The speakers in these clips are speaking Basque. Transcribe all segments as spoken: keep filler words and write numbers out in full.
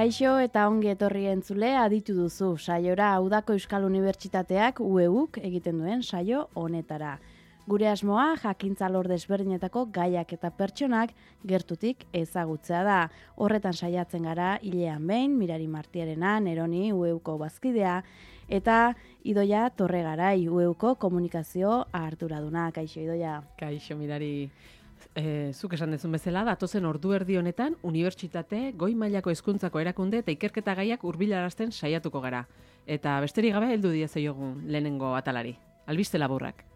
Kaixo eta ongi etorri entzule aditu duzu saiora Udako Euskal Unibertsitateak U E Uk egiten duen saio honetara. Gure asmoa jakintza lor desberdinetako gaiak eta pertsonak gertutik ezagutzea da. Horretan saiatzen gara hilean behin, Mirari Martiarena, Neroni U E Uko bazkidea, eta Idoia Torregarai U E Uko komunikazio arduraduna. Kaixo Idoia. Kaixo Mirari. E, zuk esan dezun bezala, datozen ordu erdi honetan, unibertsitate, goi mailako hezkuntzako erakunde eta ikerketa gaiak hurbilarazten saiatuko gara. Eta besterik gabe heldu diezaiogun lehenengo atalari. Albiste laburrak.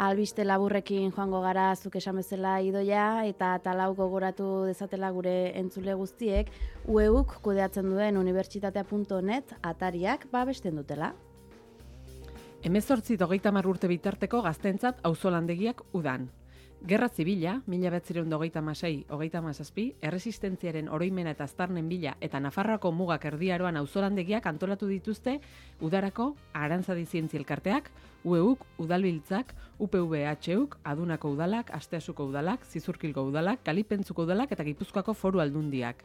Albiste laburrekin joango gara zuk esan bezala Idoia eta talau gogoratu dezatela gure entzule guztiek U E Uk kudeatzen duen unibertsitatea puntu net atariak babesten dutela. Hemezortzi hogeita hamar urte bitarteko gaztentzat auzolandegiak udan. Gerra Zibila, mila bederatziehun eta hogeita hamasei hogeita hamazazpi, erresistentziaren oroimena eta aztarnen bila eta Nafarroako mugak erdiaroan auzolandegiak antolatu dituzte udarako Arantzadi Zientzia Elkarteak, U E Uk, Udalbiltzak, U P V H Uk, Adunako udalak, Asteasuko udalak, Zizurkilgo udalak, Kalipentzuko udalak eta Gipuzkoako Foru Aldundiak.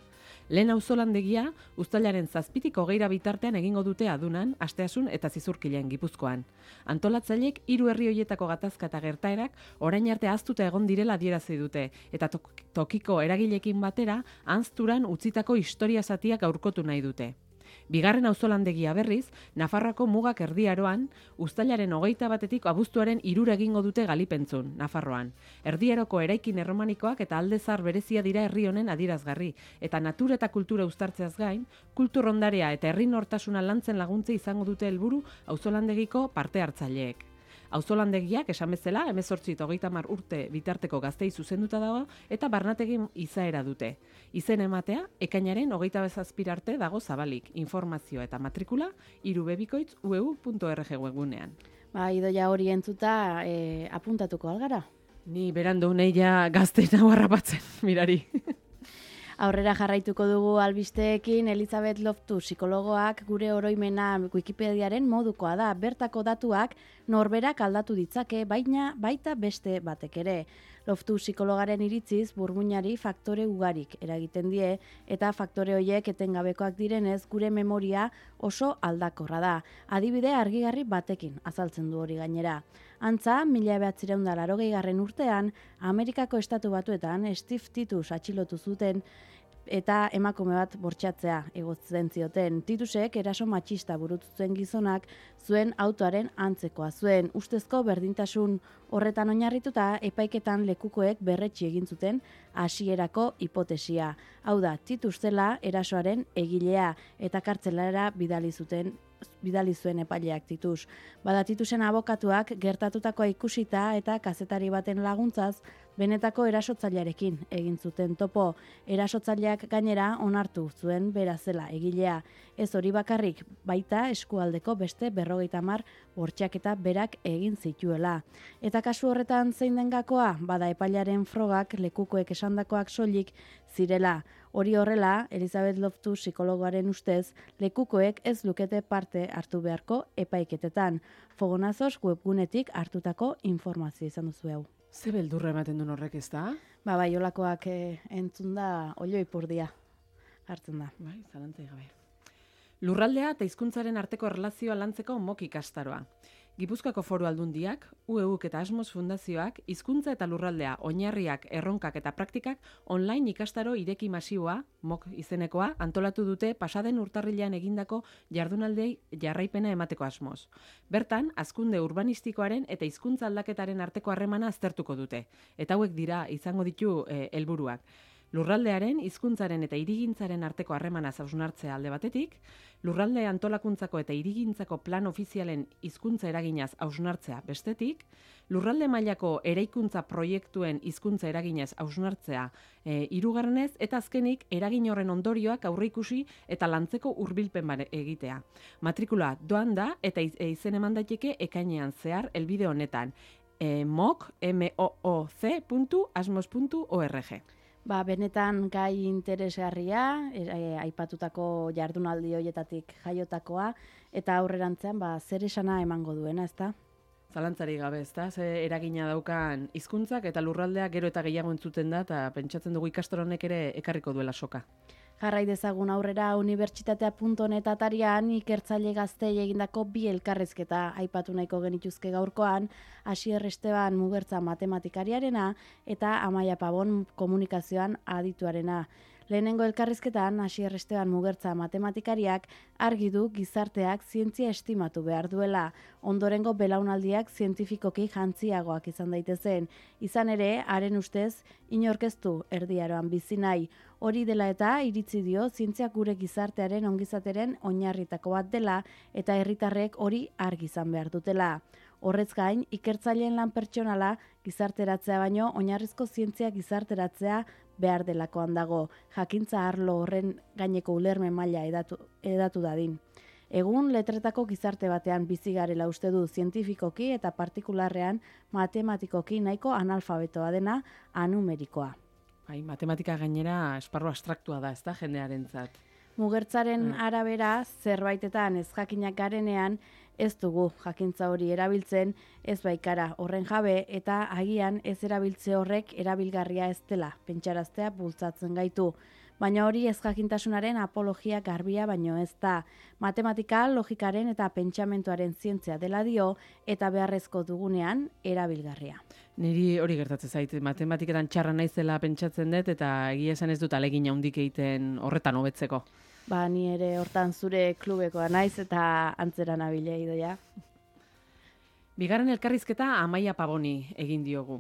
Lehen auzolandegia uztailaren zazpitik hogeira bitartean egingo dute Adunan, Asteasun eta Zizurkilen Gipuzkoan. Antolatzaileek hiru herri hoietako gatazka eta gertaerak orain arte ahaztuta egon direla adierazi dute eta tokiko eragileekin batera ahazturan utzitako historia zatiak gaurkotu nahi dute. Bigarren auzolandegia berriz, Nafarroako mugak erdiaroan, uztailaren hogeita batetik abuztuaren hirura egingo dute Galipentzun, Nafarroan. Erdiaroko eraikin erromanikoak eta alde zahar berezia dira herri honen adierazgarri, eta natura eta kultura uztartzeaz gain, kultur ondarea eta herri nortasuna lantzen laguntze izango dute helburu auzolandegiko parte hartzaileek. Auzolandegiak esan bezala, hemezortzi eta hogeita hamar urte bitarteko gaztei zuzenduta dago eta barnategin izaera dute. Izen ematea, ekainaren hogeita bezazpira arte dago zabalik, informazio eta matrikula irubebikoitz u e u puntu org webunean. Ba, Idoia hori entzuta e, apuntatuko algara? Ni berandu neia gazte nahu harrapatzen, Mirari. Aurrera jarraituko dugu albisteekin, Elizabeth Loftus psikologoak gure oroimena Wikipediaren modukoa da. Bertako datuak norberak aldatu ditzake, baina baita beste batek ere. Loftus psikologaren iritziz burmuinari faktore ugarik eragiten die eta faktore horiek etengabekoak direnez gure memoria oso aldakorra da. Adibide argigarri batekin azaltzen du hori gainera. Antza, mila bederatziehun eta laurogeigarren urtean, Amerikako Estatu Batuetan Steve Titus atxilotu zuten eta emakume bat bortxatzea egotzen zioten. Titusek eraso matxista burutzen gizonak zuen autoaren antzekoa zuen. Ustezko berdintasun horretan oinarrituta epaiketan lekukoek berretsi egin zuten hasierako hipotesia. Hau da, Titus zela erasoaren egilea eta kartzelara bidali zuten bidali zuen epaileak Titus. Bada Titusen abokatuak gertatutakoa ikusita eta kazetari baten laguntzaz benetako erasotzailearekin egin zuten topo. Erasotzaileak gainera onartu zuen bera zela egilea. Ez hori bakarrik, baita eskualdeko beste berrogeita hamar bortxaketa berak egin zituela. Eta kasu horretan zein den gakoa, bada epailearen frogak lekukoek esandakoak soilik zirela. Hori horrela, Elizabeth Loftus psikologoaren ustez, lekukoek ez lukete parte hartu beharko epaiketetan. Fogonazos webgunetik hartutako informazio izan duzu hau. Ze beldurra ematen duen horrek ez da? Ba, bai, olakoak eh, entzun da, olio ipurdia hartzen da. Bai, zalantzai gabe. Lurraldea eta hizkuntzaren arteko erlazioa lantzeko MOOC ikastaroa. Gipuzkoako Foru Aldundiak, U E Uk eta Asmos Fundazioak, hizkuntza eta lurraldea, oinarriak, erronkak eta praktikak online ikastaro ireki masiboa, MOOC izenekoa, antolatu dute pasaden urtarrilean egindako jardunaldei jarraipena emateko asmoz. Bertan, hazkunde urbanistikoaren eta hizkuntza aldaketaren arteko harremana aztertuko dute. Eta hauek dira izango ditu eh, helburuak. Lurraldearen, hizkuntzaren eta hirigintzaren arteko harremana hausnartzea alde batetik, lurralde antolakuntzako eta hirigintzako plan ofizialen hizkuntza eraginaz hausnartzea bestetik, lurralde mailako eraikuntza proiektuen hizkuntza eraginez hausnartzea e, hirugarrenez eta azkenik eragin horren ondorioak aurreikusi eta lantzeko hurbilpen egitea. Matrikula doan da eta iz, e, izen eman daiteke ekainean zehar helbide honetan e, mooc puntu asmos puntu org. Ba, benetan gai interesgarria, e, e, aipatutako jardunaldi hoietatik jaiotakoa, eta aurrerantzean ba, zer esana emango duena, ezta? Zalantzari gabe, ezta? Ze eragina daukan hizkuntzak eta lurraldeak gero eta gehiago entzuten da, eta pentsatzen dugu ikastaro honek ere ekarriko duela soka. Jarrai dezagun aurrera unibertsitatea puntu net atarian ikertzaile gaztei egindako bi elkarrizketa aipatu nahiko genituzke gaurkoan, Asier Esteban Mugertza matematikariarena eta Amaia Pabon komunikazioan adituarena. Lehenengo elkarrizketan Asier Esteban Mugertza matematikariak argi du gizarteak zientzia estimatu behar duela, ondorengo belaunaldiak zientifikoki jantziagoak izan daitezen. Izan ere, haren ustez, inorkeztu erdiaroan bizi nahi. Hori dela eta iritzi dio zientziak gure gizartearen ongizateren oinarritako bat dela eta herritarrek hori argi izan behar dutela. Horrez gain, ikertzaileen lan pertsonala gizarteratzea baino oinarrizko zientzia gizarteratzea behar delakoan dago, jakintza arlo horren gaineko ulermen maila edatu, edatu dadin. Egun letretako gizarte batean bizi garela uste du zientifikoki eta partikularrean matematikoki nahiko analfabetoa dena anumerikoa. Bai, matematika gainera esparru abstraktua da, ez da, jendearentzat. Mugertzaren Mm. arabera, zerbaitetan ez jakinak garenean, ez dugu jakintza hori erabiltzen, ez baikara horren jabe eta agian ez erabiltze horrek erabilgarria ez dela, pentsaraztea bultzatzen gaitu. Baina hori ez jakintasunaren apologia garbia baino ez da. Matematika, logikaren eta pentsamentuaren zientzia dela dio eta beharrezko dugunean erabilgarria. Niri hori gertatzen zait, matematiketan txarra naizela pentsatzen dut eta egia esan ez dut alegin handik egiten horretan hobetzeko. Ba, ni ere hortan zure klubekoa naiz eta antzera nabila idoia. Bigarren elkarrizketa Amaia Paboni egin diogu.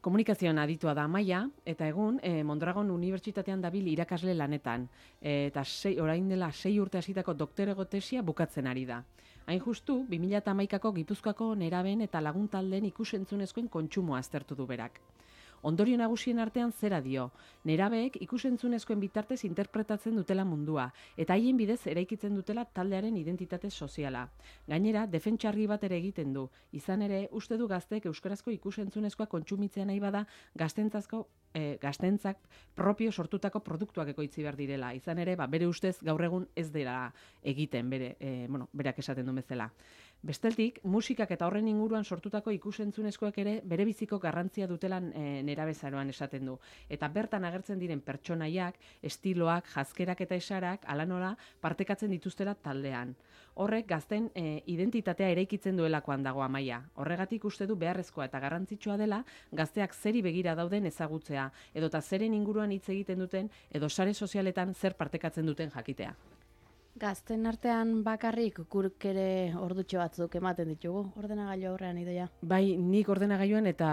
Komunikazioan aditua da Amaia, eta egun eh, Mondragon Unibertsitatean dabil irakasle lanetan, e, eta sei, orain dela sei urte hasitako doktorego tesia bukatzen ari da. Hain justu, bi mila hamaikako Gipuzkoako neraben eta laguntaldeen ikusentzunezkoen kontsumoa aztertu du berak. Ondorio nagusien artean zera dio, nerabeek ikusentzunezkoen bitartez interpretatzen dutela mundua, eta haien bidez eraikitzen dutela taldearen identitate soziala. Gainera, defentsargi bat ere egiten du, izan ere, uste du gazteek euskarazko ikusentzunezkoa kontsumitzea nahi bada gaztentzazko e, gaztentzak propio sortutako produktuak ekoitzi behar direla. Izan ere, ba, bere ustez gaur egun ez dela egiten, bere, e, bueno, berak esaten du bezala. Besteltik, musikak eta horren inguruan sortutako ikusentzunezkoak ere bere biziko garrantzia dutelan e, nerabezaroan esaten du. Eta bertan agertzen diren pertsonaiak, estiloak, jazkerak eta esarak, ala nola, partekatzen dituztela taldean. Horrek gazten e, identitatea eraikitzen duelakoan dago Amaia. Horregatik uste du beharrezkoa eta garrantzitsua dela gazteak zeri begira dauden ezagutzea, edota zeren inguruan hitz egiten duten, edo sare sozialetan zer partekatzen duten jakitea. Gazten artean bakarrik gurk ere ordutxo batzuk ematen ditugu, ordenagailu aurrean idoia. Bai, nik ordenagailuan eta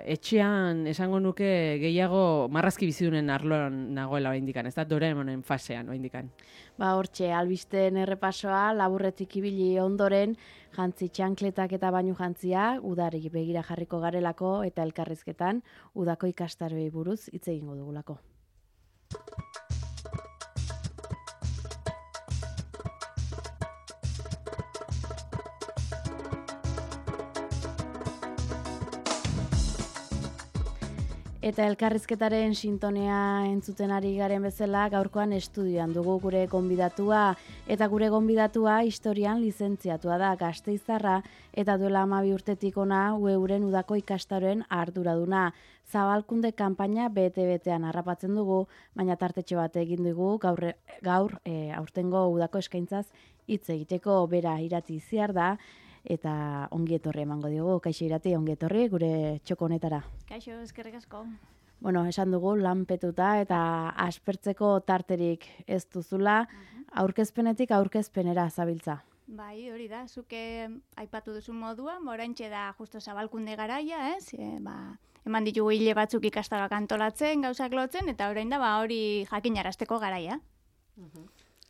etxean esango nuke gehiago marrazki bizidunen arloan nagoela oraindikan, ez da Doraemonen fasean oraindikan. Ba hortxe, albisten errepasoa, laburretik ibili ondoren, jantzi txankletak eta bainu jantzia, udari begira jarriko garelako eta elkarrizketan, udako ikastaroei buruz hitz egingo dugulako. Eta elkarrizketaren sintonea entzuten ari garen bezala, gaurkoan estudioan dugu gure gonbidatua. Eta gure gonbidatua historian lizentziatua da Gasteiztarra eta duela hamabi urtetik ona euren udako ikastaroen arduraduna. Zabalkunde kanpaina bete-betean harrapatzen dugu, baina tartetxo bat egin dugu gaur, gaur e, aurtengo udako eskaintzaz hitz egiteko. Bera Irati Ziar da. Eta ongi etorri emango diogu, Kaixo Irati, ongi etorri gure txoko honetara. Kaixo, eskerrik asko. Bueno, esan dugu lanpetuta eta aspertzeko tarterik ez duzula, aurkezpenetik aurkezpenera zabiltza. Bai, hori da, zuke aipatu duzu modua, oraintxe da justo Zabalkunde garaia, ez? E, ba, eman ditugu hile batzuk ikastaroak antolatzen, gauzak lotzen, eta orain da ba hori jakinarazteko garaia.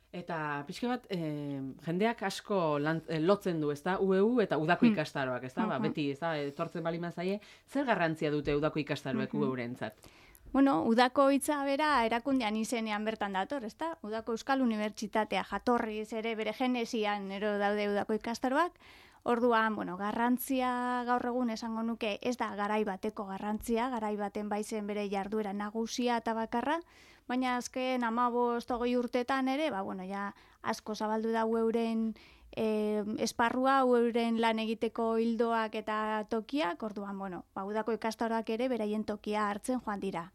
Eta pixka bat, eh, jendeak asko lan, eh, lotzen du, ezta? U E U eta udako ikastaroak, ezta? Ba, beti, ezta? Etortzen bali mazaie, zer garrantzia dute udako ikastaroek U E U-rentzat? Bueno, udako hitza bera erakundean izenean bertan dator, ezta? Udako Euskal Unibertsitatea jatorriz ere bere genesian ero daude udako ikastaroak. Orduan, bueno, garrantzia gaur egun esango nuke ez da garai bateko garrantzia, garai baten baizen bere jarduera nagusia eta bakarra, baina azken hamabost hogei urtetan ere, ba, bueno, ja asko zabaldu da euren e, esparrua, euren lan egiteko hildoak eta tokiak, orduan, bueno, ba, udako ikastaroak ere beraien tokia hartzen joan dira.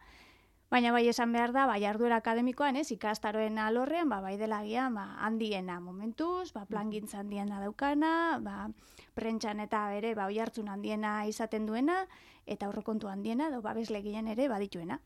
Baina bai esan behar da, bai jarduera akademikoan, ez, ikastaroen alorrean, ba, bai dela gian, ba, handiena momentuz, ba, plangintza handiena daukana, ba, prentxan eta ere, ba, oihartzun handiena izaten duena, eta aurrekontu handiena, edo babeslegien ere badituena.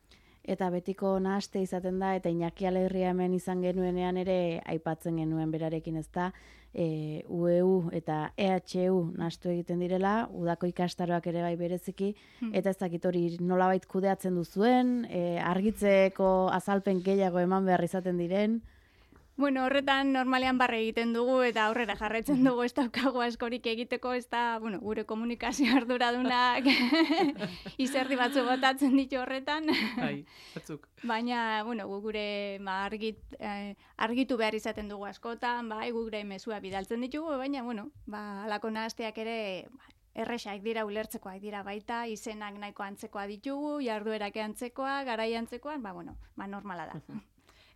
Eta betiko nahaste izaten da, eta Iñaki Alegria hemen izan genuenean ere aipatzen genuen berarekin, ez da, e, U E U eta E H U nahastu egiten direla, udako ikastaroak ere bai bereziki, hmm. eta ez dakit hori nolabait kudeatzen duzuen, e, argitzeko azalpen gehiago eman behar izaten diren. Bueno, horretan normalean barre egiten dugu eta aurrera jarraitzen dugu, ez daukagu askorik egiteko, ez da, bueno, gure komunikazio arduradunak izerdi batzu botatzen ditu horretan. Bai, batzuk. Baina, bueno, gu gure ma, argit, eh, argitu behar izaten dugu askotan, bai, gu gure mezua bidaltzen ditugu, baina, bueno, ba, alako nahasteak ere ba, erresak dira, ulertzekoak dira baita, izenak nahiko antzekoa ditugu, jarduerak antzekoa, garai antzekoan, ba, bueno, ba, normala da.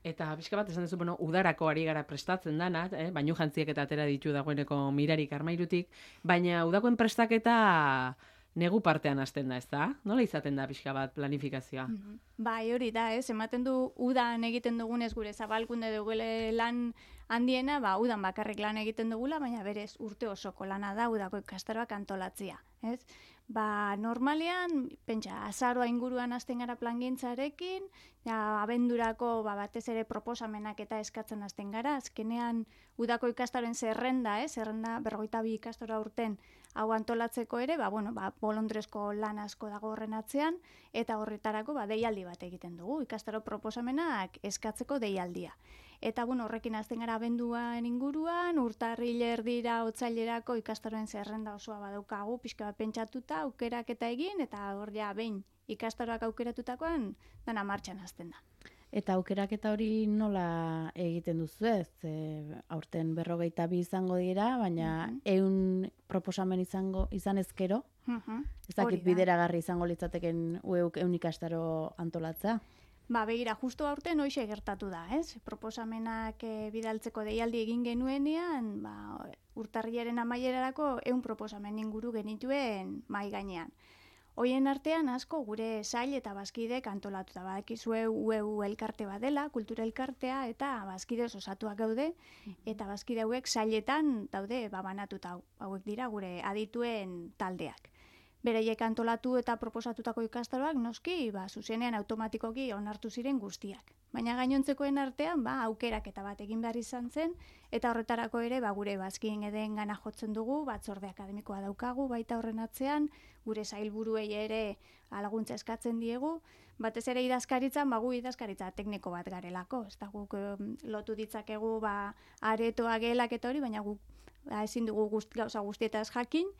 Eta pixka bat esan duzu, bueno, udarako ari gara prestatzen dana, eh? Bainu jantziek eta atera ditu dagoeneko Mirarik Armairutik, baina udakoen prestaketa negu partean hasten da, ez da? Nola izaten da pixka bat planifikazioa? Mm-hmm. Bai, hori da, ez, ematen du udan egiten dugunez gure zabalkunde dugule lan handiena, ba, udan bakarrik lan egiten dugula, baina berez urte osoko lana da udako ikastaroak antolatzia, ez? Ba, normalean, pentsa, azaroa inguruan hasten gara plangintzarekin, ja, abendurako ba, batez ere proposamenak eta eskatzen hasten gara, azkenean udako ikastaroen zerrenda, eh? Zerrenda berrogeita bi ikastora urten hau antolatzeko ere, ba, bueno, ba, bolondresko lan asko dago horren atzean, eta horretarako ba, deialdi bat egiten dugu, ikastaro proposamenak eskatzeko deialdia. Eta bueno, horrekin hasten gara abenduan inguruan, urtarril erdira otsailerako ikastaroen zerrenda osoa badaukagu, pixka bat pentsatuta, aukerak eta egin, eta hor ja behin ikastaroak aukeratutakoan dana martxan hasten da. Eta aukeraketa hori nola egiten duzu ez? E, aurten berrogeita bi izango dira, baina uh-huh. eun proposamen izango izan ezkero, uh-huh. ez dakit bideragarri izango litzateken ueuk eun ikastaro antolatzea? Ba, begira, justu aurten hoxe gertatu da, ez? Proposamenak e, bidaltzeko deialdi egin genuenean, ba, urtarriaren amaierarako eun proposamen inguru genituen mai gainean. Hoien artean asko gure sail eta bazkidek antolatuta, badakizue U E U elkarte badela, kultura elkartea eta bazkide osatuak gaude, eta bazkide hauek sailetan daude babanatuta, hauek dira gure adituen taldeak. Bereiek antolatu eta proposatutako ikastaroak noski, ba, zuzenean automatikoki onartu ziren guztiak. Baina gainontzekoen artean, ba, aukerak eta bat egin behar izan zen, eta horretarako ere, ba, gure bazkien edeen gana jotzen dugu, batzorde akademikoa daukagu, baita horren atzean, gure zailburuei ere laguntza eskatzen diegu, batez ere idazkaritzan, ba, gu idazkaritza tekniko bat garelako, ez da guk lotu ditzakegu, ba, aretoa gelak eta hori, baina guk ba, ezin dugu guzti, gauza guztietaz jakin,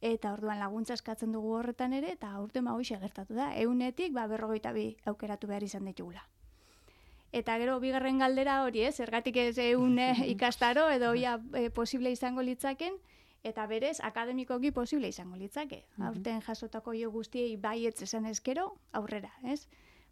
eta orduan laguntza eskatzen dugu horretan ere, eta aurten ba hoxe gertatu da, eunetik ba, berrogeita bi aukeratu behar izan ditugula. Eta gero, bigarren galdera hori, ez, zergatik ez eun ikastaro, edo ja e, posible izango litzaken, eta berez, akademikoki posible izango litzake. Aurten jasotako jo guztiei baietz esan ezkero, aurrera, ez?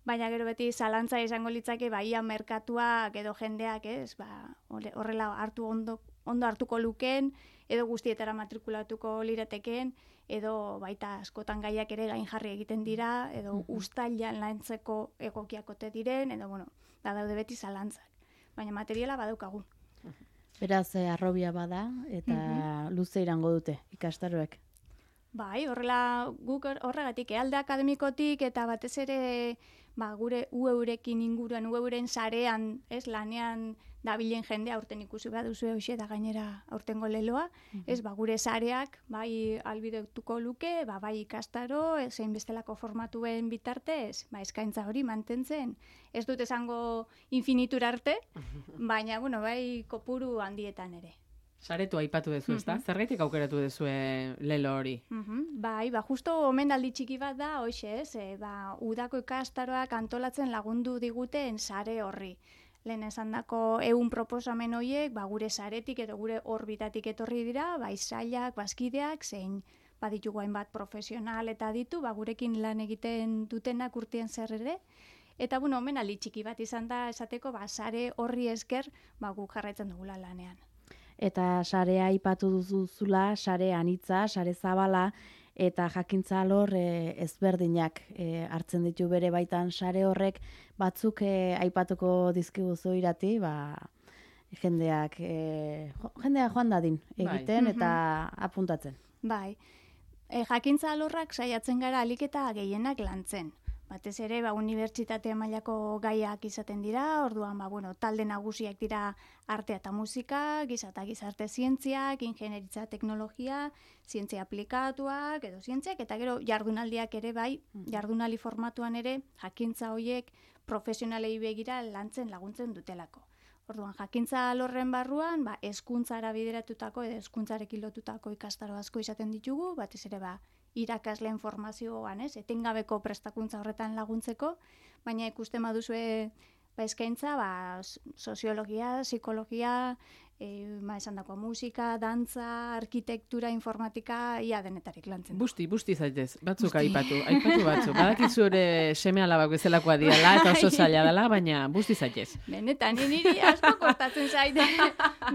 Baina gero beti zalantza izango litzake, baia merkatuak edo jendeak, ez, ba, horrela hartu ondo, ondo hartuko luken, edo guztietara matrikulatuko lirateken, edo baita askotan gaiak ere gain jarri egiten dira, edo uztailan lantzeko egokiakote diren, edo bueno, da daude beti zalantzak. Baina materiala badaukagu. Beraz, eh, arrobia bada, eta uh-huh. luze irango dute ikastaroek. Bai, horrela guk horregatik, alde akademikotik eta batez ere ba, gure U E U-rekin inguruan, U E U-ren sarean, ez, lanean dabilen jende aurten ikusi baduzu hoxe da gainera aurtengo leloa, uh-huh. ez, ba, gure sareak bai albidetuko luke, ba, bai ikastaro, zein bestelako formatuen bitartez, ba, eskaintza hori mantentzen. Ez dut esango infinitura arte, baina, bueno, bai kopuru handietan ere. Saretu aipatu duzu, ezta? Uh-huh. Zergaitik aukeratu duzu lelo hori? Uh-huh. Bai, ba, justo omenaldi txiki bat da, hoxe, ez, e, ba, udako ikastaroak antolatzen lagundu diguten sare horri. Lehen esan dako eun proposamen horiek, ba, gure saretik edo gure orbitatik etorri dira, bai sailak, bazkideak, zein baditugu hainbat profesional eta ditu, ba, gurekin lan egiten dutenak urtien zer ere. Eta, bueno, omenaldi txiki bat izan da esateko, ba, sare horri esker, ba, guk jarraitzen dugula lanean. eta sarea aipatu duzula, sare anitza, sare zabala, eta jakintza alor e, ezberdinak e, hartzen ditu bere baitan sare horrek, batzuk e, aipatuko dizkiguzu Irati, ba, jendeak, e, jo, jendea joan dadin egiten Bai. eta apuntatzen. Bai, e, jakintza alorrak saiatzen gara alik eta gehienak lantzen. Batez ere, ba, unibertsitate mailako gaiak izaten dira, orduan, ba, bueno, talde nagusiak dira artea eta musika, giza eta gizarte zientziak, ingenieritza teknologia, zientzia aplikatuak, edo zientziak, eta gero jardunaldiak ere bai, jardunaldi formatuan ere, jakintza horiek profesionalei begira lantzen laguntzen dutelako. Orduan, jakintza alorren barruan, ba, hezkuntzara bideratutako edo hezkuntzarekin lotutako ikastaro asko izaten ditugu, batez ere ba, irakasleen formazioan, ez, etengabeko prestakuntza horretan laguntzeko, baina ikusten baduzue ba, eskaintza, ba, soziologia, psikologia, e, ba, esan dako musika, dantza, arkitektura, informatika, ia denetarik lantzen. Busti, busti zaitez, batzuk aipatu, aipatu batzuk. Badakizu ere seme alabak bezalakoa diala eta oso zaila dela, baina busti zaitez. Benetan, niri asko kostatzen zaite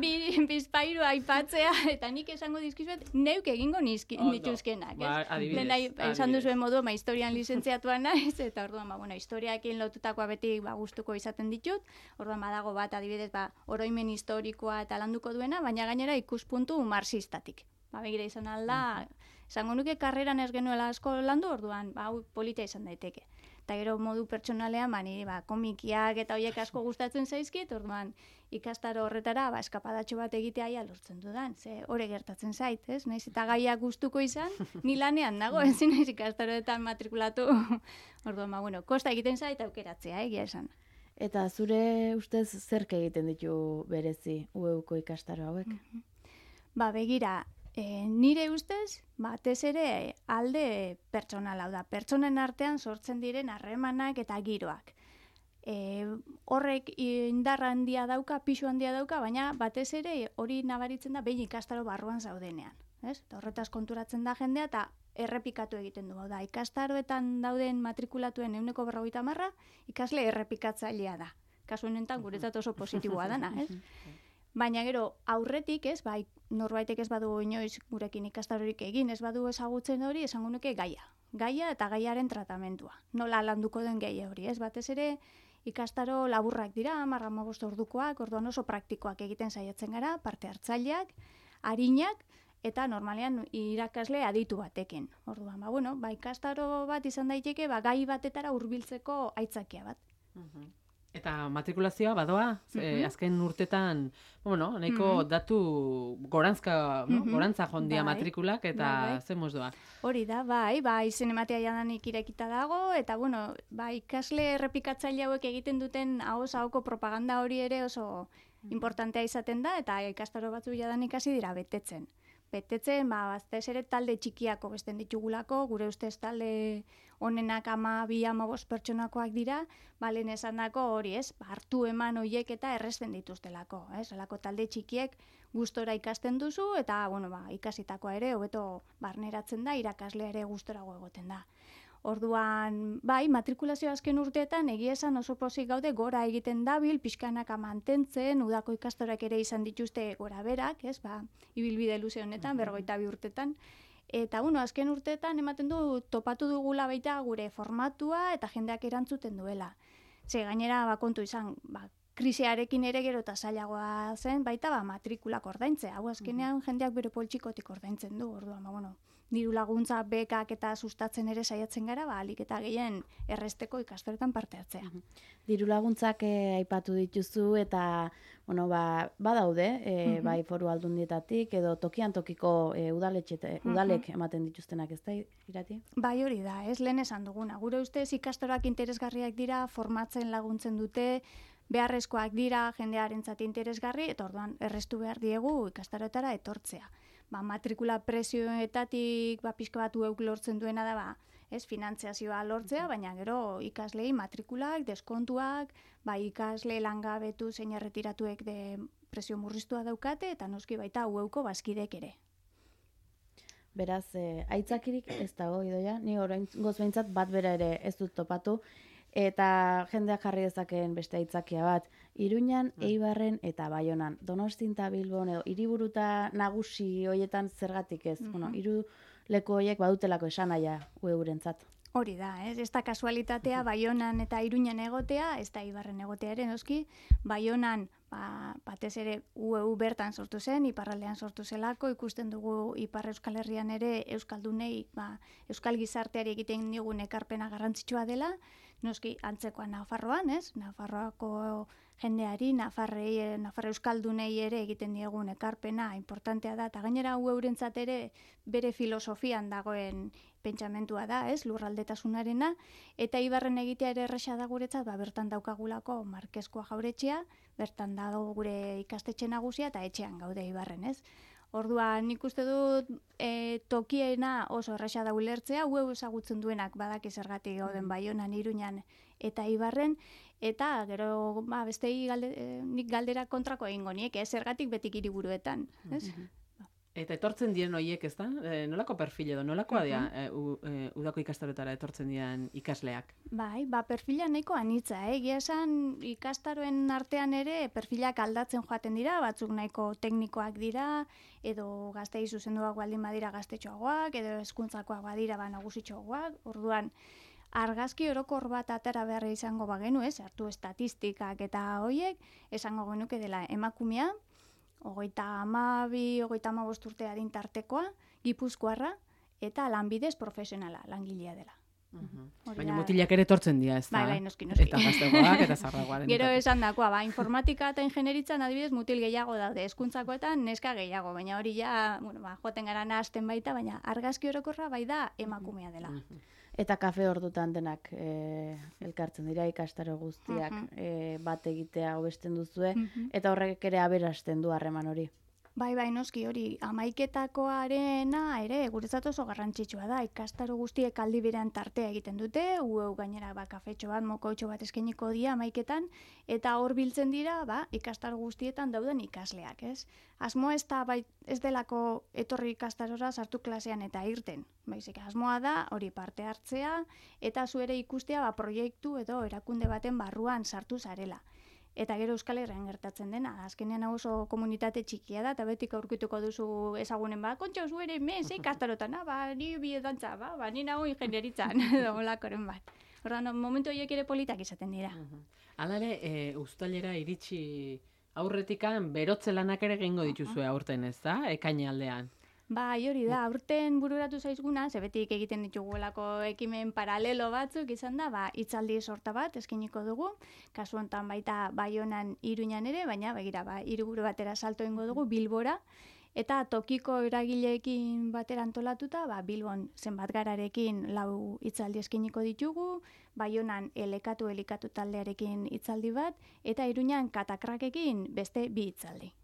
bi, bizpairu aipatzea, eta nik esango dizkizuet, neuk egingo nizki, dituzkenak. Ba, adibidez. Lehen esan duzuen modu, ma historian lizentziatua naiz, eta orduan, ba, bueno, historiakin lotutakoa beti ba, gustuko izaten ditut, orduan badago bat, adibidez, ba, oroimen historikoa eta landuko duena, baina gainera ikuspuntu marxistatik. Ba, begira izan alda, esango nuke karreran ez genuela asko landu, orduan, ba, hau polita izan daiteke. Eta gero modu pertsonalean, ba, niri, ba, komikiak eta horiek asko gustatzen zaizkit, orduan, ikastaro horretara, ba, eskapadatxo bat egitea ia lortzen dudan, ze hori gertatzen zait, ez? Naiz eta gaiak gustuko izan, ni lanean nago, ezin naiz ikastaroetan matrikulatu. Orduan, ba, bueno, kosta egiten zait aukeratzea, egia esan. Eta zure ustez zerk egiten ditu berezi U E Uko ikastaro hauek? Ba, begira, e, nire ustez, batez ere alde pertsonal hau da. Pertsonen artean sortzen diren harremanak eta giroak. E, horrek indarra handia dauka, pisu handia dauka, baina batez ere hori nabaritzen da behin ikastaro barruan zaudenean. Ez? Eta horretaz konturatzen da jendea eta errepikatu egiten du. Hau da, ikastaroetan dauden matrikulatuen ehuneko berrogeita hamarra ikasle errepikatzailea da. Kasu honetan guretzat oso positiboa dana, ez? Baina gero aurretik, ez, bai, norbaitek ez badu inoiz gurekin ikastarorik egin, ez badu ezagutzen hori, esango nuke gaia. Gaia eta gaiaren tratamentua. Nola landuko den gaia hori, ez? Batez ere ikastaro laburrak dira, hamar hamabost ordukoak, orduan oso praktikoak egiten saiatzen gara, parte hartzaileak, arinak, eta normalean irakasle aditu batekin. Orduan, ba, bueno, ba, ikastaro bat izan daiteke, ba, gai batetara hurbiltzeko aitzakia bat. Eta matrikulazioa badoa, eh, azken urtetan, bueno, nahiko datu gorantzka, no? gorantza jondia Bai. matrikulak, eta Bai, bai. zen moz doa. Hori da, bai, ba, izen ematea jadanik irekita dago, eta bueno, ba, ikasle errepikatzaile hauek egiten duten ahoz ahoko propaganda hori ere oso importantea izaten da, eta ikastaro batzu jadanik hasi dira betetzen. Betetzen, ba, batez ere talde txikiako besten ditugulako, gure ustez talde honenak ama, bi, ama bost pertsonakoak dira, ba, lehen esandako hori, ez, ba, hartu eman horiek eta erresten dituztelako, ez, alako talde txikiek gustora ikasten duzu, eta, bueno, ba, ikasitakoa ere, hobeto barneratzen da, irakaslea ere gustorago egoten da. Orduan, bai, matrikulazio azken urteetan egia esan oso pozik gaude gora egiten dabil, pixkanaka mantentzen, udako ikastorak ere izan dituzte gora berak, ez, ba, ibilbide luze honetan, berrogeita bi urtetan. Eta, bueno, azken urteetan ematen du topatu dugula baita gure formatua eta jendeak erantzuten duela. Ze gainera, ba, kontu izan, ba, krisiarekin ere gero eta zailagoa zen, baita ba, matrikulak ordaintzea. Hau azkenean jendeak bere poltsikotik ordaintzen du, orduan, ba, bueno, diru laguntza bekak eta sustatzen ere saiatzen gara, ba, alik eta gehien erresteko ikastoretan parte hartzea. Diru laguntzak eh, aipatu dituzu eta bueno, ba, badaude, eh, bai foru aldundietatik edo tokian tokiko eh, udaletxe, udalek ematen dituztenak, ez da, Irati? Bai, hori da, ez lehen esan duguna. Gure ustez ikastorak interesgarriak dira, formatzen laguntzen dute, beharrezkoak dira jendearentzat interesgarri, eta orduan errestu behar diegu ikastaroetara etortzea. Ba, matrikula prezioetatik ba, pixka bat ueuk lortzen duena da, ba, ez, finantziazioa lortzea, baina gero ikaslei matrikulak, deskontuak, ba, ikasle langabetu zein erretiratuek de prezio murriztua daukate, eta noski baita ueuko bazkidek ere. Beraz, eh, aitzakirik ez dago, Idoia, ni orain goz behintzat bat bera ere ez dut topatu. Eta jendeak jarri dezakeen beste aitzakia bat, Iruñan, Eibarren eta Baionan. Donostin eta Bilbon edo hiriburuta nagusi hoietan zergatik ez. Mm -hmm. Bueno, hiru leku horiek badutelako esanaia ueurentzat. Hori da, ez? Ez da kasualitatea Baionan eta Iruñan egotea, ez da Eibarren egotea ere noski. Baionan ba, batez ere U E U bertan sortu zen, iparraldean sortu zelako, ikusten dugu Ipar Euskal Herrian ere euskaldunei, ba, euskal gizarteari egiten digun ekarpena garrantzitsua dela, noski antzekoa Nafarroan, ez? Nafarroako jendeari, Nafarrei, Nafar euskaldunei ere egiten diegun ekarpena importantea da, eta gainera U E Urentzat ere bere filosofian dagoen pentsamentua da, ez? Lurraldetasunarena, eta Eibarren egitea ere erresa da guretzat, ba, bertan daukagulako Markeskoa jauretxea, bertan dago gure ikastetxe nagusia eta etxean gaude Eibarren, ez? Orduan, nik uste dut e, tokiena oso erresa da ulertzea, U E U ezagutzen duenak badaki zergatik gauden Baionan, Iruñan eta Eibarren, eta gero ba, bestei galde, e, nik galdera kontrako egingo niek, ez zergatik betik hiriburuetan, ez? Eta etortzen diren horiek, ez da? E, nolako perfil edo, nolakoa dira e, u, e, udako ikastaroetara etortzen diren ikasleak? Bai, ba, perfila nahiko anitza, eh? Egia esan ikastaroen artean ere perfilak aldatzen joaten dira, batzuk nahiko teknikoak dira, edo gaztei zuzenduak baldin badira gaztetxoagoak, edo hezkuntzakoak badira ba nagusitxoagoak, orduan, argazki orokor bat atera beharra izango bagenu, ez? Hartu estatistikak eta hoiek, esango genuke dela emakumea, hogeita hamabi, hogeita hamabost urte adin tartekoa, Gipuzkoarra, eta lanbidez profesionala, langilea dela. Uh-huh. Baina mutilak ere etortzen dira, ez da? Bai, bai, noski, noski. Eta gaztegoak, eta zarragoaren. Gero esan dakoa, ba, informatika eta ingenieritzan adibidez mutil gehiago daude, hezkuntzakoetan neska gehiago, baina hori ja, bueno, ba, joaten gara nahazten baita, baina argazki orokorra bai da emakumea dela. Uh-huh. Eta kafe ordutan denak e, elkartzen dira ikastaro guztiak uh-huh. e, bat egitea hobesten duzue, uh-huh. eta horrek ere aberasten du harreman hori. Bai, bai, noski hori, hamaiketakoarena ere guretzat oso garrantzitsua da, ikastaro guztiek aldi berean tartea egiten dute, U E U gainera ba, kafetxo bat, mokoitxo bat eskainiko dia hamaiketan, eta hor biltzen dira ba, ikastaro guztietan dauden ikasleak, ez? Asmoa ez da bai, ez delako etorri ikastarora sartu klasean eta irten, baizik asmoa da hori parte hartzea, eta zu ere ikustea ba, proiektu edo erakunde baten barruan sartu zarela. Eta gero Euskal Herrian gertatzen dena, azkenean oso komunitate txikia da, eta betik aurkituko duzu ezagunen ba, kontxo, zu ere, me, ze ikastarotan, ba, ni biedantza, ba, ba, ni nago ingenieritzan, edo olakoren bat. Ordan, momentu horiek ere politak izaten dira. Hala ere, e, uztailera iritsi aurretikan berotze lanak ere egingo dituzue aurten, ez da? Ekaine aldean. Bai, hori da, aurten bururatu zaizguna, zebetik egiten ditugulako ekimen paralelo batzuk izan da, ba, hitzaldi sorta bat eskiniko dugu, kasu honetan baita Baionan, Iruñan ere, baina begira, ba, hiriburu batera salto egingo dugu Bilbora, eta tokiko eragileekin batera antolatuta, ba, Bilbon zenbat gararekin lau hitzaldi eskiniko ditugu, Baionan elekatu elikatu taldearekin hitzaldi bat, eta Iruñan katakrakekin beste bi hitzaldi.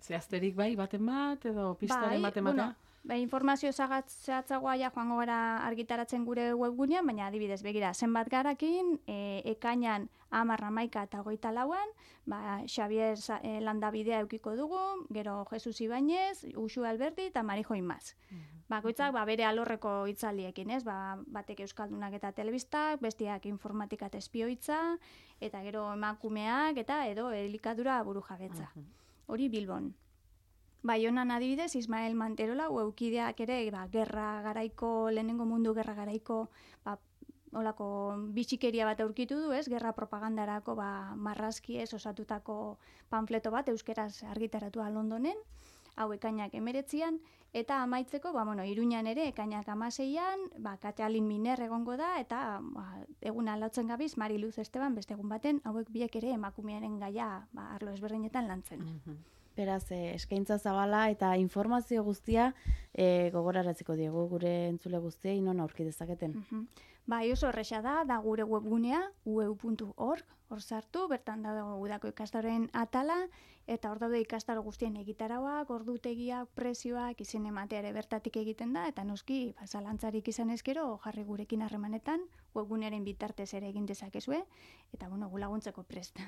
Zehazterik bai, baten bat, edo pistaren bai, baten bata? Bueno, bai, informazio zehatzagoa ja joango gara argitaratzen gure webgunean, baina adibidez, begira, zenbat garakin, e, ekainan hamar hamaika eta hogeita lauan, ba, Xabier e, Landabidea eukiko dugu, gero Jesus Ibañez, Uxu Alberti eta Marijo Imaz. Mm-hmm. Bakoitzak ba, bere alorreko hitzaldiekin, ez? Ba, batek euskaldunak eta telebistak, bestiak informatika eta espioitza, eta gero emakumeak eta edo elikadura burujabetza. Mm-hmm. Hori Bilbon. Baionan adibidez, Ismael Manterola, ueukideak ere, ba, gerra garaiko, lehenengo mundu gerra garaiko, ba, olako bitxikeria bat aurkitu du, ez? Gerra propagandarako, ba, marrazkiez osatutako panfleto bat, euskeraz argitaratua Londonen, hau ekainak emeretzian, eta amaitzeko, ba, bueno, Iruñan ere, ekainak amaseian, ba, Katalin Miner egongo da, eta ba, egun aldatzen gabiz, Mari Luz Esteban, beste egun baten, hauek biek ere emakumearen gaia ba, arlo ezberdinetan lantzen. Mm-hmm. Beraz, eh, eskaintza zabala eta informazio guztia eh, gogoraratzeko diegu gure entzule guztiei non aurki dezaketen. Mm-hmm. Bai, oso erresa da, da gure webgunea, u e u puntu org, hor sartu, bertan dago udako ikastaroen atala, eta hor daude ikastaro guztien egitarauak, ordutegiak, prezioak, izen ematea ere bertatik egiten da, eta noski, ba, zalantzarik izan ezkero, jarri gurekin harremanetan, webgunearen bitartez ere egin dezakezue, eta bueno, gu laguntzeko prest.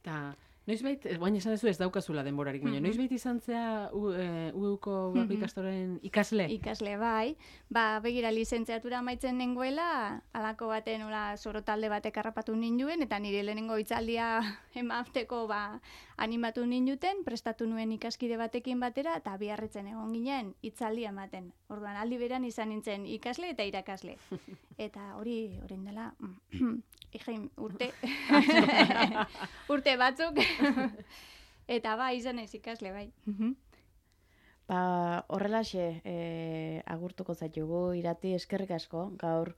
Eta Noizbait, baina esan duzu ez daukazula denborarik, baina Mhm. noizbait izan zea U E ko udako Mhm. ikastoren ikasle? Ikasle bai, ba, begira lizentziatura amaitzen nengoela, alako baten nola soro talde batek harrapatu ninduen, eta nire lehenengo hitzaldia emateko ba, animatu ninduten, prestatu nuen ikaskide batekin batera, eta biarritzen egon ginen hitzaldia ematen. Orduan aldi beran izan nintzen ikasle eta irakasle. Eta hori, orain dela, Igein, urte, urte batzuk, eta ba, izan ez ikasle, bai. Ba, horrelaxe e, agurtuko zaitugu, Irati, eskerrik asko, gaur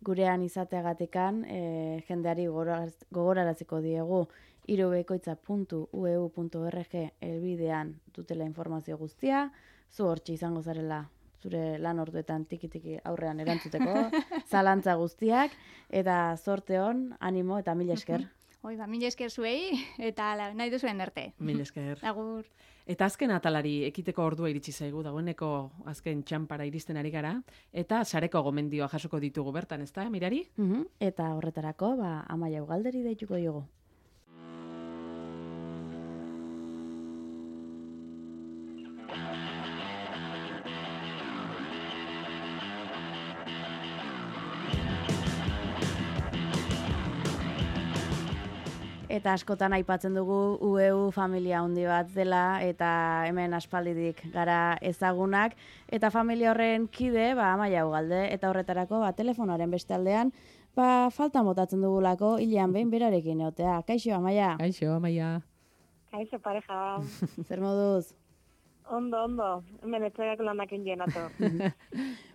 gurean izateagatikan e, jendeari gogoraz- gogoraraziko diegu irubekoitza puntu u e u puntu org elbidean dutela informazio guztia, zu hortxe izango zarela zure lan orduetan tiki-tiki aurrean erantzuteko, zalantza guztiak, eta zorte hon, animo eta mila esker. Hoi, ba, mila esker zuei, eta ala, nahi duzuen erte. Mil esker. Agur. Eta azken atalari ekiteko ordua iritsi zaigu, dagoeneko azken txanpara iristen ari gara, eta sareko gomendioa jasoko ditugu bertan, ezta, Mirari? Mhm. Eta horretarako, ba, Amaia Ugalderi deituko diogu. Eta askotan aipatzen dugu U E U familia handi bat dela eta hemen aspaldidik gara ezagunak eta familia horren kide, ba Amaia Ugalde eta horretarako ba telefonoaren beste aldean ba falta motatzen dugulako hilean behin berarekin egotea. Kaixo Amaia. Kaixo, Amaia. Kaixo pareja. Zer moduz? Ondo, ondo. Hemen etxegako lanakin jenato.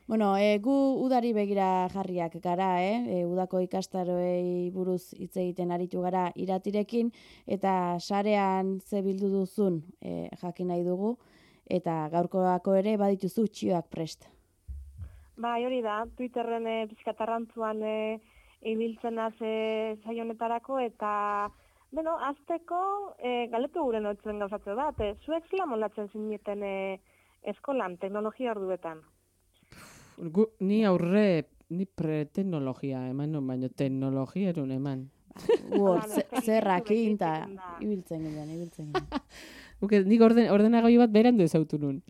Bueno, e, gu udari begira jarriak gara, eh? E, udako ikastaroei buruz hitz egiten aritu gara Iratirekin, eta sarean ze bildu duzun e, jakin nahi dugu, eta gaurkoako ere badituzu txioak prest. Bai, hori da, Twitterren e, pizkatarrantzuan e, ibiltzen az e, saio honetarako, eta, bueno, azteko e, galetu gure notzen gauzatze bat, e, zuek zela molatzen zineten e, eskolan, teknologia orduetan. Gu, ni aurre, ni pre-teknologia eman, non, baina teknologia erun eman. Word, Hala, zerrakin, eta egiten da. ibiltzen ginen, ibiltzen ginen. Uke, nik orden, ordenagailu bat berandu ezautu nun.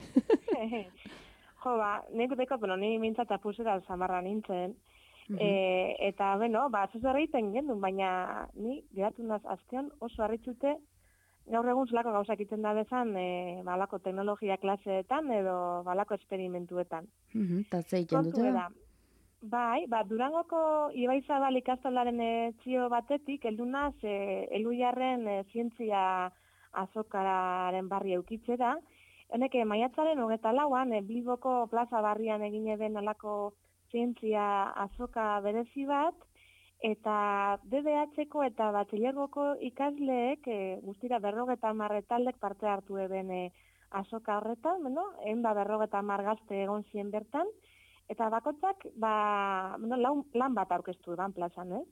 Jo, ba, nik deko, bueno, ni mintzat apusera zamarra nintzen, Mhm. e, eta, bueno, ba, zuzu egiten gendun, baina ni geratu naz aztean oso harritzute gaur egun zelako gauzak iten da bezan, e, balako teknologia klaseetan edo balako esperimentuetan. Mhm, eta ze egiten Kontu dute? da, bai, ba, Durangoko Ibaizabal ikastolaren e, txio batetik, heldu naz, e, Elujarren e, zientzia azokararen barri eukitzera, honek e, maiatzaren hogeta lauan, e, Bilboko plaza barrian egine den alako zientzia azoka berezi bat, eta D B H-ko eta batxilergoko ikasleek e, guztira berrogeta hamar taldek parte hartu eben e, azoka horretan, bueno, ehun eta berrogeta hamar gazte egon zien bertan, eta bakotzak ba, bueno, lan, lan bat aurkeztu eban plazan, ez?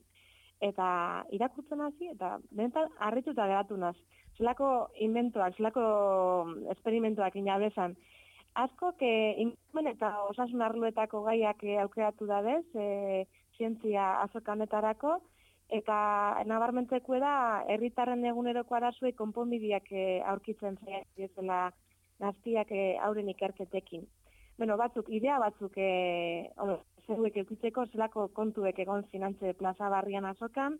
Eta irakurtzen hasi, eta benetan harrituta geratu naz. Zelako inventoak, zelako esperimentuak inabezan. Askok e, ingurumen eta osasun arloetako gaiak e, aukeratu dadez, e, zientzia azokanetarako, eta nabarmentzeko da herritarren eguneroko arazoei konponbideak e, aurkitzen zaitzela gaztiak e, auren ikerketekin. Bueno, batzuk, idea batzuk e, zeruek eukitzeko zelako kontuek egon zinantze plaza barrian azokan,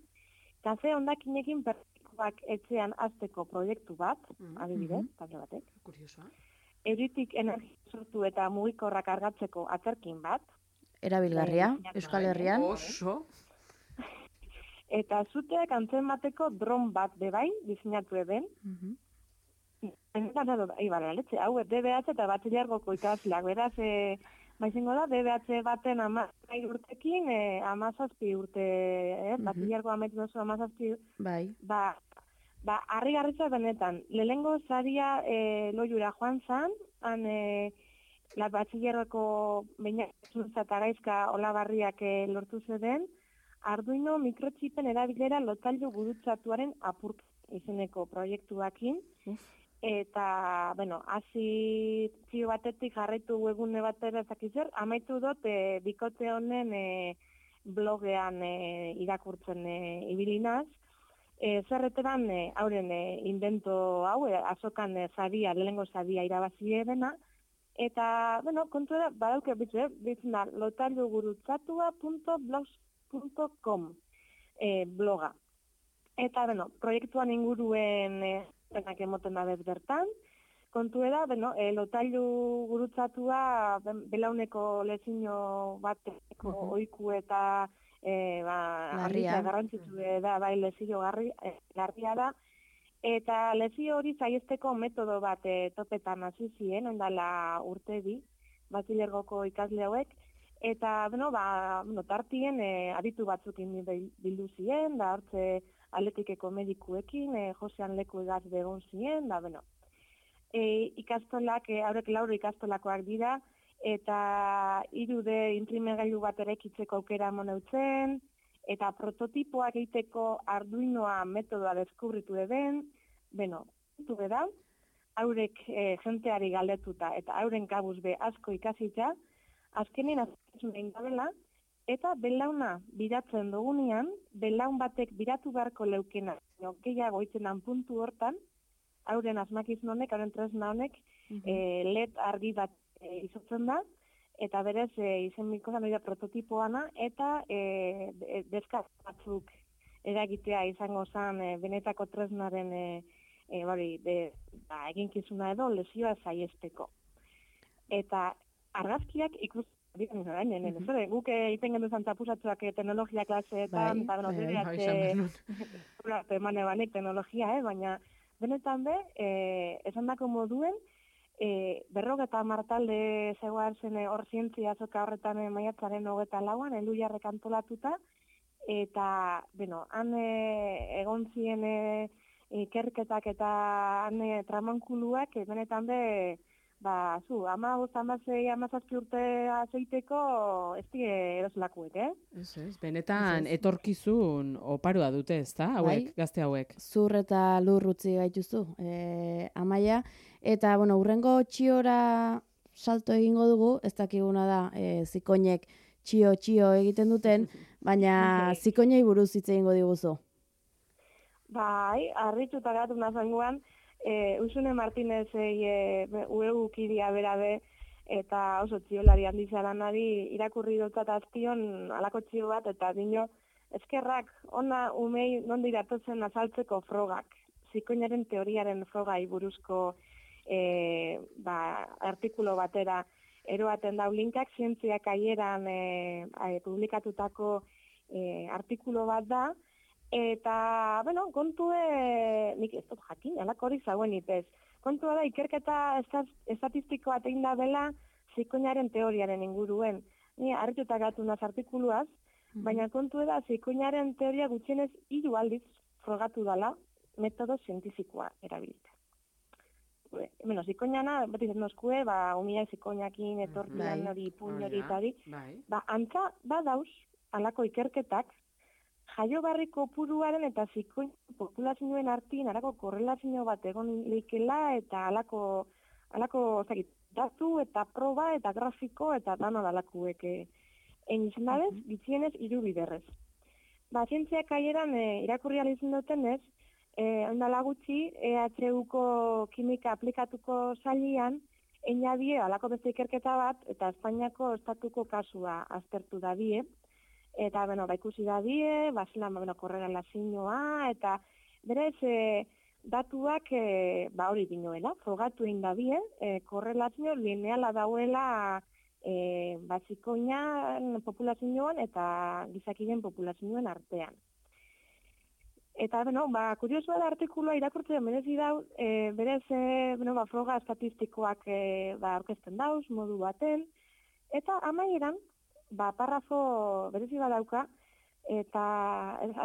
eta ze ondakinekin pertsikoak etxean azteko proiektu bat, adibidez, talde batek. Kuriosoa. Euritik energia sortu eta mugikorrak argatzeko atzerkin bat, Erabilgarria, Bai, Euskal Herrian. Oso. eta zuteak antzemateko dron bat bebai diseinatu eben. Mhm. Ibara, letxe, hau, D B H eta batxilergoko ikasleak, beraz, e, maizengo da, D B H baten amazazpi urtekin, e, amazazpi urte, eh, Mhm. batxilergo ametu dozu amazazpi, Bai. ba, ba, harri garritza benetan, lehengo zaria e, loiura joan zan, han, e, la batxilergoko bainazunza eta gaizka olabarriak e, lortu zeden, Arduino mikrotxipen erabilera lotailu gurutzatuaren apurk izeneko proiektuakin, eta, bueno, hasi txio batetik jarraitu webgune batera ezakizer, amaitu dut e, bikote honen e, blogean e, irakurtzen e, ibilinaz, E, zerreteran e, hauren e, invento hau, e, azokan e, zaria, lehengo zaria irabazi dena, eta, bueno, kontu da, badauke bitzu, bitzen da, lotailugurutzatua punto blogspot punto com e, bloga. Eta, bueno, proiektuan inguruen e, benak emoten da bez bertan, kontu da, bueno, e, lotailu gurutzatua belauneko lezino bateko uh -huh. oiku eta E, ba, arritza garrantzitsu da, bai, lezio garri, e, garria da, eta lezio hori zaiesteko metodo bat e, topetan hasi ziren, ondala urte bi, Basilergoko ikasle hauek, eta, bueno, ba, bueno, tartien e, aditu batzukin bildu ziren, da, hortze atletikeko medikuekin, e, Josean leku egaz begon ziren, da, bueno, e, ikastolak, e, haurek lauro ikastolakoak dira, eta irude imprimegailu bat erekitzeko aukera moneutzen, eta prototipoak egiteko Arduinoa metodoa deskubritu eben, beno, du da, haurek e, jenteari galdetuta, eta hauren kabuz be asko ikasitza, azkenin azkentzun egin gabela, eta belauna biratzen dugunean, belaun batek biratu beharko leukena, no, gehiago itzenan puntu hortan, hauren asmakizun honek, hauren tresna honek, uh -huh. e, L E D argi bat E, izotzen da, eta berez e, izen mikoza noida prototipoana, eta e, deskaz batzuk eragitea izango zen e, benetako tresnaren e, e, bari, de, ba, eginkizuna edo lesioa zaiesteko. Eta argazkiak ikus diren orain, mm -hmm. guk egiten gendu zantzapusatzuak e, teknologia klaseetan, eta beno, emane banek teknologia, eh? Baina benetan be, e, esan dako moduen, E, berrogeta martalde zegoan zen hor zientzia azoka horretan e, maiatzaren hogeta lauan, elu jarrek antolatuta, eta, bueno, han e, egon ziren e, ikerketak eta han e, tramankuluak, e, benetan be, ba, zu, ama guzti, ama zei, ama zazpi urte azeiteko, ez die eroslakuek, eh? Ez, ez, benetan etorkizun oparoa dute, ez da, hauek, bai, gazte hauek. Zur eta lur utzi gaituzu, e, Amaia. Eta, bueno, urrengo txiora salto egingo dugu, ez dakiguna da, e, zikoinek txio-txio egiten duten, baina zikoinei buruz hitz egingo diguzu. Bai, harrituta gatu nazangoan, e, Usune Martinezei e, uegu kidia berabe, eta oso txiolari handizaranari irakurri dutat azpion alako txio bat, eta dino, eskerrak, ona umei nondi datozen azaltzeko frogak, zikoinaren teoriaren frogai buruzko E, ba, artikulo batera eroaten dau linkak, zientziak aieran e, e, publikatutako e, artikulo bat da, eta, bueno, kontue, nik ez dut jakin, alako hori zauen ipez, kontua da, ikerketa estatistikoa egin da bela zikoinaren teoriaren inguruen. Ni harrituta gatu naz artikuluaz, mm-hmm. baina kontua da, zikoinaren teoria gutxienez hiru aldiz frogatu dala metodo zientifikoa erabilita. Bueno, zikoinana, beti zen noskue, ba, umia zikoinakin, etortian hori, puñ hori eta hori, ba, antza, badauz, alako ikerketak, jaio barriko puruaren eta zikoin populazioen artien, alako korrelazio bat egon likela, eta alako, alako, zakit, datu eta proba eta grafiko eta dano dalakuek egin izan dabez, uh -huh. bitzienez hiru biderrez. Ba, zientziak aieran e, irakurri alizun duten ez, E, ondala gutxi, E H Uko kimika aplikatuko zailan, einabie alako beste ikerketa bat, eta Espainiako estatuko kasua aztertu da die, eta, bueno, ba, ikusi da die, basilan, bueno, korrelazioa, eta berez, e, datuak, e, ba, hori dinoela, frogatu egin da die, e, korrelazio lineala dauela, e, ba, zikoinan populazioan eta gizakiren populazioen artean. Eta, bueno, ba, kuriosua da artikuloa irakurtzea merezi dau, e, berez, e, bueno, ba, froga estatistikoak e, ba, orkesten dauz, modu baten, eta amaieran, ba, parrafo berezi badauka, eta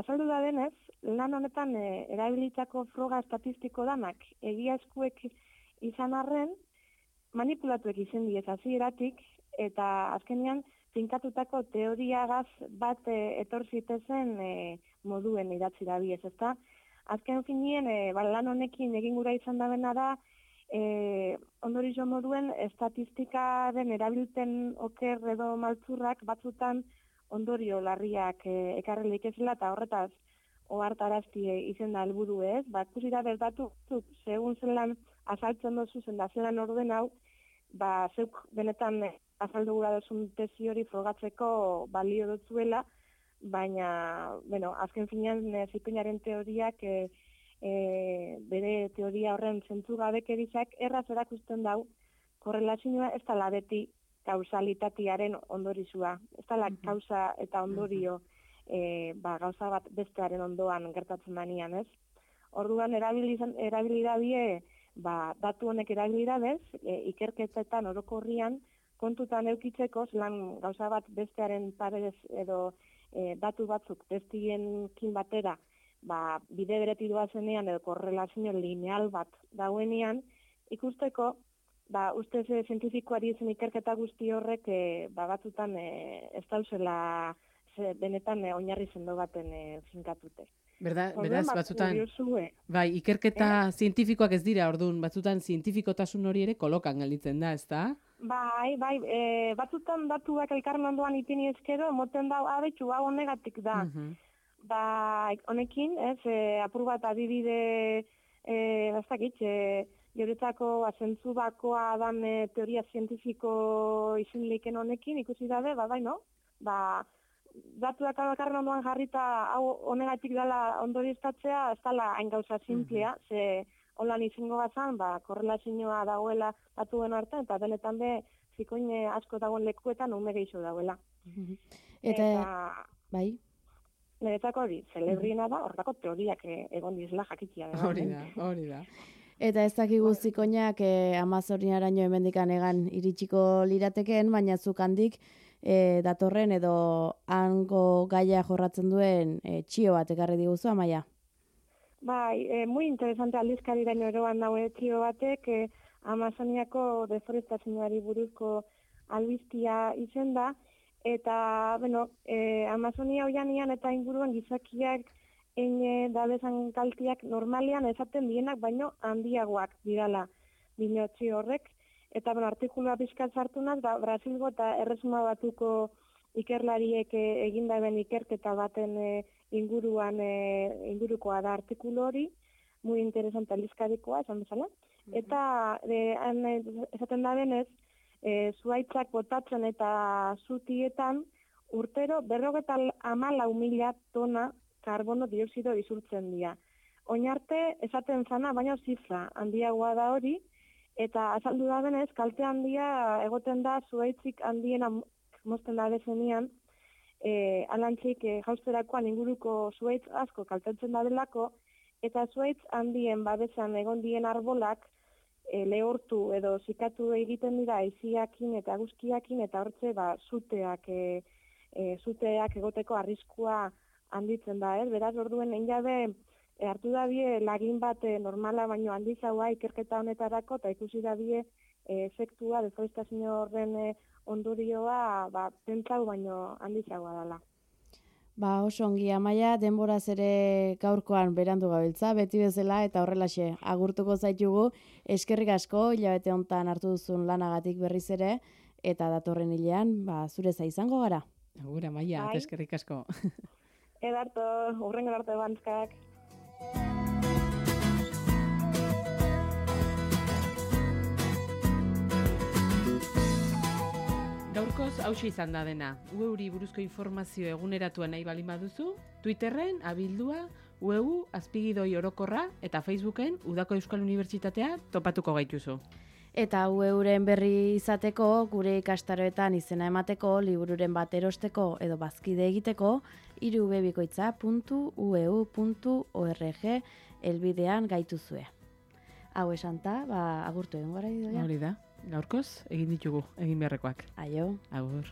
azaldu da denez, lan honetan e, erabilitako froga estatistiko danak egia eskuek izan arren, manipulatuek izen diez hasieratik, eta azkenean, finkatutako teoriagaz bat e, etor zitezen e, moduen idatzi da biez, ezta? Azken finien, e, ba, lan honekin egin gura izan da bena da, e, ondorizo moduen estatistikaren erabilten oker edo maltzurrak batzutan ondorio larriak e, ekarrelik ezela, eta horretaz ohartarazti izen da helburu ez, ba, ikusi da berdatu, segun zelan azaltzen dozu zen da zelan orden hau, ba, zeuk benetan azaldu gura duzun tesi hori frogatzeko balio dutzuela, baina, bueno, azken finean zipenaren teoriak e, e, bere teoria horren zentzu gabekerizak erraz erakusten dau, korrelazioa ez dela beti kausalitatearen ondorizua, ez dela kausa eta ondorio e, ba, gauza bat bestearen ondoan gertatzen danian, ez? Orduan erabili dabie, ba, datu honek erabili dabez, e, ikerketetan orokorrian kontutan eukitzeko, zelan gauza bat bestearen paredez edo e, datu batzuk bestienekin batera, ba, bide bereti doazenean edo korrelazio lineal bat dauenean, ikusteko, ba, ustez e, zientifikoari zen ikerketa guzti horrek e, ba, batzutan e, ez dauzela ze, benetan e, oinarri sendo baten e, finkatute. Berda, Orduan, beraz, ba, batzutan, kuriosue. bai, ikerketa zientifikoak ez dira, orduan, batzutan zientifikotasun hori ere kolokan gelditzen da, ezta? Bai, bai, e, batzutan datuak elkarren ondoan ipini ezkero, moten da, abetxu, hau honegatik da. Mhm. Ba, honekin, ez, e, apur bat adibide, e, bastakit, e, Geuretzako azentzu bakoa dan e, teoria zientifiko izin leiken honekin, ikusi dabe, ba, bai, no? Ba, datuak bakarren ondoan jarrita hau honegatik dela ondorioztatzea, ez dela hain gauza simplea, mm-hmm. ze holan izango bazan, ba, korrelazioa dagoela datuen artean, eta benetan be, zikoine asko dagoen lekuetan ume gehiago dagoela. Mm-hmm. Eta, eta, bai? Niretzako hori, celebriena da, horretako teoriak egon dizela jakitia. Hori da, hori da. Eta ez dakigu zikoinak eh, Amazoniaraino hemendikan egan iritsiko lirateken, baina zuk handik eh, datorren edo hango gaia jorratzen duen eh, txio bat ekarri diguzu, Amaia? Bai, eh, muy interesante aldizkariraino eroan daue txio batek, eh, Amazoniako deforestazioari buruzko albistia izen da, eta, bueno, eh, Amazonia oianian eta inguruan gizakiak egin dabezan kaltiak normalian esaten dienak, baino handiagoak dirala dinotzi horrek. Eta, bueno, artikulua pizkat sartunaz, ba, Brasilgo eta Erresuma Batuko ikerlariek egindaben ikerketa baten e, inguruan e, ingurukoa da artikulu hori, muy interesante aldizkarikoa, esan bezala. Eta, e, han, esaten da benez, e, zuaitzak botatzen eta zutietan urtero berrogeta hamalau mila tona karbono dioxido isurtzen dira. Oinarte esaten zana, baina zifra handiagoa da hori, eta azaldu da benez, kalte handia egoten da zuaitzik handiena mozten da bezenean, e, alantzik e, jausterakoan inguruko zuaitz asko kaltetzen da delako, eta zuaitz handien babesan egon dien arbolak e, lehortu edo zikatu egiten dira aiziakin eta guzkiakin, eta hortze ba, zuteak, e, e, zuteak egoteko arriskua handitzen da, ez? Beraz, orduen, egin jabe, e, hartu dabie lagin bat e, normala baino handizagoa ikerketa honetarako, eta ikusi dabie e, efektua, deforestazio horren e, ondorioa, ba, pentsau baino handizagoa dela. Ba, oso ongi, Amaia, denboraz ere gaurkoan berandu gabiltza, beti bezala, eta horrelaxe, agurtuko zaitugu, eskerrik asko, hilabete hontan hartu duzun lanagatik berriz ere, eta datorren hilean, ba, zure za izango gara. Agur, Amaia, eta eskerrik asko. Edarto, urrengo arte bantzkak. Gaurkoz, hauxe izan da dena. Ueuri buruzko informazio eguneratua nahi bali baduzu, Twitterren, abildua, ueu, azpigidoi orokorra, eta Facebooken, Udako Euskal Unibertsitatea topatuko gaituzu. Eta ueuren berri izateko, gure ikastaroetan izena emateko, libururen bat erosteko edo bazkide egiteko, irubebikoitza puntu u e u puntu org elbidean gaituzue. Hau esanta, ba, agurtu egon gara idoia. Hori da, gaurkoz, egin ditugu, egin beharrekoak. Aio. Agur.